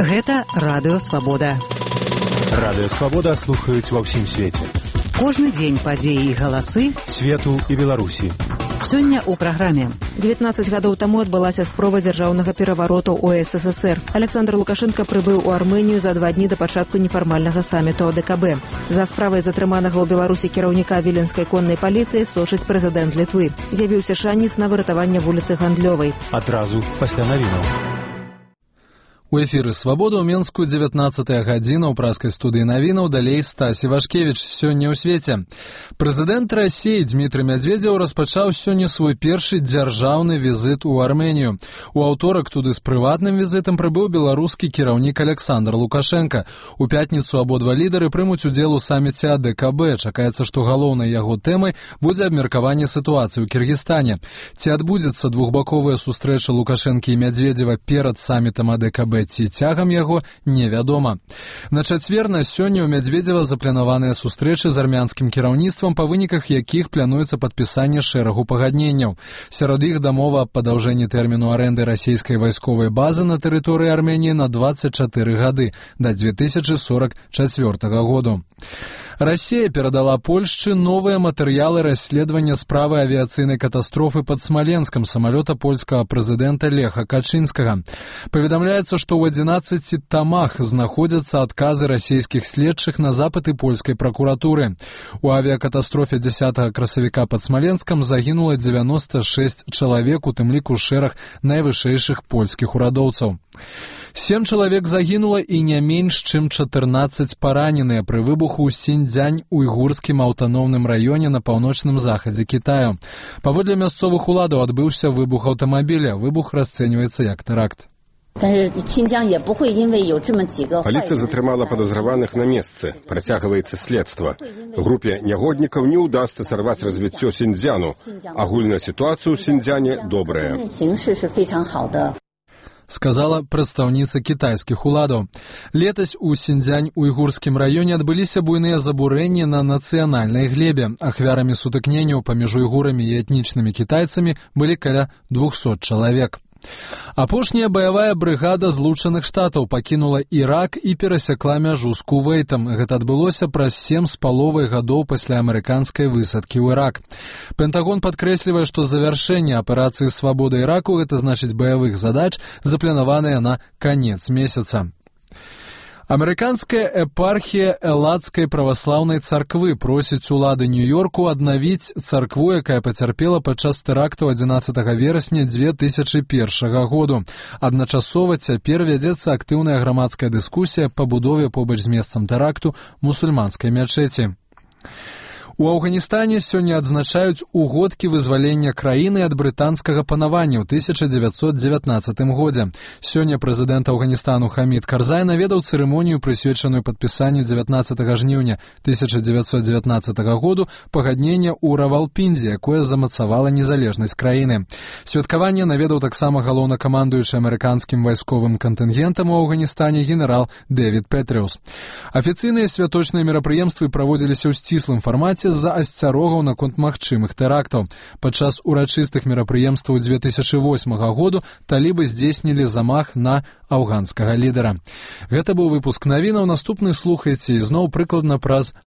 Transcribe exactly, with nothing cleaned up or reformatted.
Гэта Радыё Свабода. Радыё Свабода слухаюць ва ўсім свеце. Кожны дзень падзеі і галасы свету і Беларусі. Сёння ў праграме. дзевятнаццаць гадоў таму адбылася спроба дзяржаўнага перавароту ў эс эс эс эр. Александр Лукашенко прыбыў у Армэнію за два дні да пачатку нефармальнага саміту о дэ ка бэ. За справай затрыманага ў Беларусі кіраўніка віленскай коннай паліцыі сочыць прэзідэнт Літвы. З'явіўся шанец на выратаванне вуліцы Гандлёвай. Адразу пасля навінаў. У эфіры «Свабода» ў Менску дзевятнаццатая гадзіна ў праскай студыі навінаў, далей Стасі Вашкевіч. Сёння ў свеце. Прэзідэнт Расіі Дмітрый Мядзведзеў распачаў сёння свой першы дзяржаўны візіт у Арменію. У аўторак туды з прыватным візітам прыбыў беларускі кіраўнік Александр Лукашенко. У пятніцу абодва лідары прымуць удзел у саміце о дэ ка бэ. Чакаецца, што галоўнай яго тэмай будзе абмеркаванне сітуацыі ў Кіргізстане. Ці адбудзецца двухбаковая сустрэча Лукашэнкі і Мядзведзева перад самітам о дэ ка бэ, ці цягам яго, невядома. На чацвер на сёння ў Мядзведзева запланаваныя сустрэчы з армянскім кіраўніцтвам, па выніках якіх плануецца падпісанне шэрагу пагадненняў. Сярод іх дамова аб падаўжэнні тэрміну арэнды расійскай вайсковай базы на тэрыторыі Арменіі на дваццаць чатыры гады, да дзве тысячы сорак чацвёртага году. Расія перадала Польшчы новыя матэрыялы расследавання справы авіяцыйнай катастрофы пад Смаленскам самалёта польскага прэзідэнта Леха Качынскага. Паведамляецца, што ў адзінаццаці тамах знаходзяцца адказы расійскіх следчых на запыты польскай пракуратуры. У авіякатастрофе дзясятага красавіка пад Смаленскам загінула дзевяноста шэсць чалавек, у тым ліку шэраг найвышэйшых польскіх урадоўцаў. Сем чалавек загінула і не менш, чым чатырнаццаць параненыя пры выбуху ў Сіньцзянь уйгурскім аўтаномным раёне на паўночным захадзе Кітаю. Паводле мясцовых уладаў адбыўся выбух аўтамабіля. Выбух расцэньваецца як тэракт. Паліцыя затрымала падазраваных на месцы. Працягваецца следства. Групе нягоднікаў не ўдасца сарваць развіццё Сіньцзяну. Агульная сітуацыя ў Сіньцзяне добрая. Сказала прадстаўніца кітайскіх уладаў. Летась у Сіньцзянь-уйгурскім раёне адбыліся буйныя забурэнні на нацыянальнай глебе. Ахвярамі сутыкненняў паміж уйгурамі і этнічнымі кітайцамі былі каля двухсот чалавек. Апошняя баявая брыгада Злучаных Штатаў пакінула Ірак і перасякла мяжу з Кувейтам. Гэта адбылося праз сем з паловай гадоў пасля амерыканскай высадкі ў Ірак. Пентагон падкрэслівае, што завяршэнне аперацыі «Свабода Іраку» — гэта значыць баявых задач, запланаваныя на канец месяца. Амерыканская епархія Эладскай праваслаўнай царквы просіць улады Нью-Йорку аднавіць царкву, якая пацярпела падчас тэракту адзінаццатага верасня дзве тысячы першага году. Адначасова цяпер вядзецца актыўная грамадская дыскусія па будове побач з месцам тэракту мусульманскай мячэці. У Афганістане сёння адзначаюць угодкі вызвалення краіны ад брытанскага панавання ў тысяча дзевяцьсот дзевятнаццатым годзе. Сёння прэзідэнт Афганістану Хамід Карзай наведаў цырымонію, прысвечаную падпісанню дзевятнаццатага жніўня тысяча дзевяцьсот дзевятнаццатага году пагаднення ў Равалпіндзе, якое замацавала незалежнасць краіны. Святкаванне наведаў таксама галоўнакамандуючы амерыканскім вайсковым кантынгентам у Афганістане генерал Дэвід Петрыус. Афіцыйныя святочныя мерапрыемствы праводзіліся ў сціслым фармаце з-за асцярогаў наконт магчымых тэрактаў. Падчас урачыстых мерапрыемстваў дзве тысячы восьмага году талібы здзейснілі замах на афганскага лідара. Гэта быў выпуск навінаў. Наступны слухайце ізноў прыкладна праз